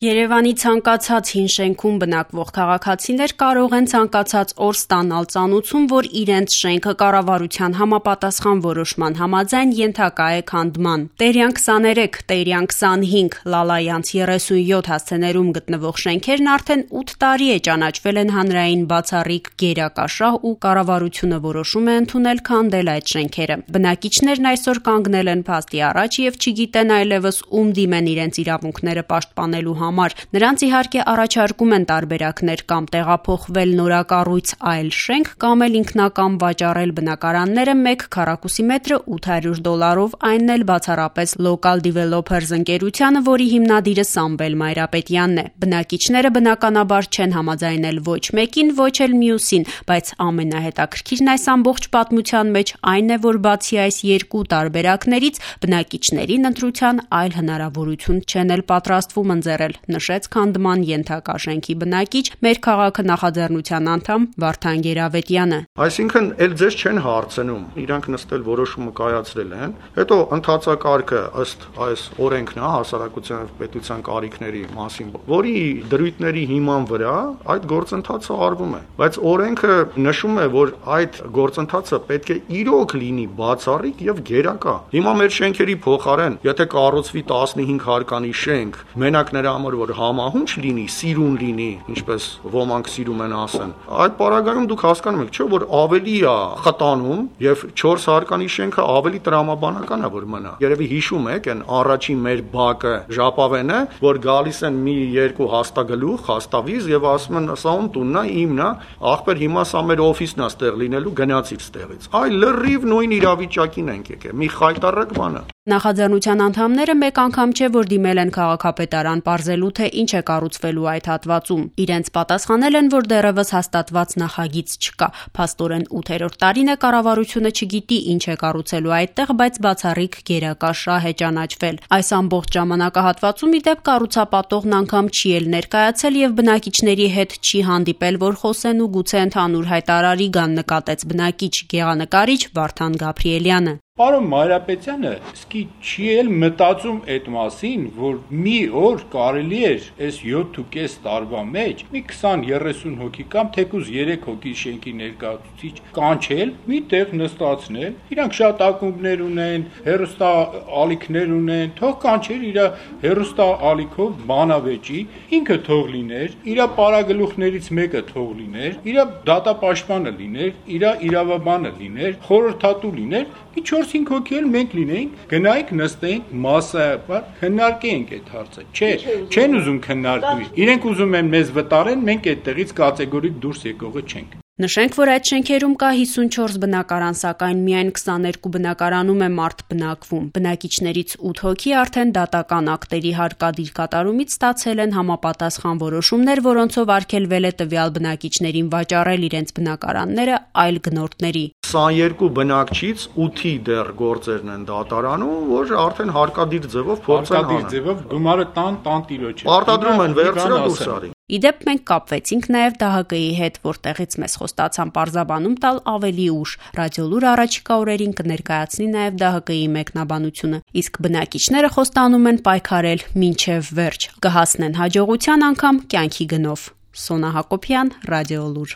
Երևանի ցանկացած հին շենքում բնակվող քաղաքացիներ կարող են ցանկացած օր ստանալ ծանուցում, որ իրենց շենքը կառավարության համապատասխան որոշման համաձայն ենթակա է քանդման։ Տերյան 23, Տերյան 25, Լալայանց 37 հասցեներում գտնվող շենքերն արդեն 8 տարի է ճանաչվել են հանրային բացառիկ գերակաշահ ու կառավարությունը որոշում է ընդունել քանդել այդ շենքերը։ Բնակիչներն այսօր կանգնել են փաստի առաջ եւ չգիտեն այլևս ում դիմեն իրենց իրավունքները պաշտպանելու Նրանց իհարկե առաջարկում են տարբերակներ կամ տեղափոխվել նորակառույց այլ շենք կամ էլ ինքնակամ վաճառել բնակարանները 1 քառակուսի մետրը $800, այնն էլ բացառապես Local Developers ընկերությանը, որի հիմնադիրը Սամվել Մայրապետյանն է։ Բնակիչները բնականաբար չեն համաձայնել ոչ մեկին, ոչ էլ մյուսին, բայց ամենահետաքրքիրն այս ամբողջ պատմության մեջ այն է, որ բացի այս երկու տարբերակներից բնակիչներին ընտրության այլ հնարավորություն չեն էլ պատրաստվում ընձեռել, նշեց քանդման ենթակա շենքի բնակիչ մեր քաղաքը նախաձեռնության անդամ Վարդան Գերավետյանը։ Այսինքն էլ ձեզ չեն հարցնում, իրանք նստել որոշումը կայացրել են, հետո ընթացակարգը ըստ այս օրենքն է հասարակության եւ պետության կարիքների մասին, որի դրույթների հիման վրա այդ գործընթացը արվում է, բայց օրենքը նշում է, որ այդ գործընթացը պետք է իրոք լինի բացառիկ եւ գերակա։ Հիմա մեր շենքերի փոխարեն, եթե կառուցվի 15 հարկանի շենք, մենակ նրա համար որ համահունչ լինի, սիրուն լինի, ինչպես ոմանք սիրում են ասեն, այդ պարագայում դուք հասկանում եք, չէ՞ որ ավելի է խտանում եւ 4 հարկանի շենքը ավելի տրամաբանական է որ մնա։ Երևի հիշում եք այն առաջին մեր բակը ժապավենը, որ գալիս են մի երկու հաստագլուխ, հաստավիզ եւ ասում են սա ում տունն է, իմն է, ախպեր հիմա սա մեր օֆիսն է ստեղ լինելու, գնացիր ստեղից։ Այ լրիվ նույն իրավիճակին ենք եկել, մի խայտարակ բան է։ Նախաձեռնության անդամները մեկ անգամ չէ որ դիմել են քաղաքապետարան պարզելու թե ինչ է կառուցվելու այդ հատվածում։ Իրենց պատասխանել են, որ դեռևս հաստատված նախագիծ չկա։ Փաստորեն 8-րդ տարին է կառավարությունը չգիտի ինչ է կառուցելու այդտեղ, բայց բացառիկ գերակաշահ է ճանաչվել։ Այս ամբողջ ժամանակահատվածում ի դեպ կառուցապատողն անգամ չի էլ ներկայացել եւ բնակիչների հետ չի հանդիպել, որ խոսեն ու գուցե ընդհանուր հայտարարի գան, նկատեց բնակիչ գեղանկարիչ Վարդան Գաբրիելյանը։ Պարոն Մայրապետյանը սկի չի էլ մտածում այդ մասին, որ մի օր կարելի էր այս 7.5 տարվա մեջ մի 20-30 հոգի կամ թեկուզ 3 հոգի շենքի ներկայացուցիչ կանչել, մի տեղ նստացնել, իրանք շատ ակումբներ ունեն, հեռուստա ալիքներ ունեն, թող կանչեր իր հեռուստա ալիքով բանավեճի, ինքը թող լիներ, իր պարագլուխներից մեկը թող լիներ, իր դատապաշտպանը լիներ, իր իրավաբանը լիներ, խորհրդատու լիներ, մի 4-5 հոգի էլ մենք լինեինք, գնայինք նստեինք մասսայաբար, քննարկեինք այդ հարցը։ Չէ, չեն ուզում քննարկվի։ Իրենք ուզում են մեզ վտարեն, մենք այդտեղից կատեգորիկ դուրս եկողը չենք։ Նշենք, որ այդ շենքերում կա 54 բնակարան, սակայն միայն 22 բնակարանում է մարդ բնակվում։ Բնակիչներից 8 հոգի արդեն դատական ակտերի հարկադիր կատարումից ստացել են համապատասխան որոշումներ, որոնցով արգելվել է տվյալ բնակիչներին վաճառել իրենց բնակարանները այլ գնորդների։ 22 բնակչից 8-ի դեռ գործերն են դատարանում, որ արդեն հարկադիր ձևով փորձ են անում։ Հարկադիր ձևով գումարը տան տիրոջ է։ Պարտադրում են վերցրել դուրս արի։ Իդեպ մենք կապվեցինք նաև ԴՀԿ-ի հետ, որտեղից մեզ խոստացան պարզաբանում տալ ավելի ուշ։ Ռադիոլուր առաջիկա օրերին կներկայացնի նաև ԴՀԿ-ի մեկնաբանությունը, իսկ բնակիչները խոստանում են պայքարել մինչև վերջ, կհասնեն հաջողության անգամ կյանքի գնով։ Սոնա Հակոբյան, Ռադիոլուր։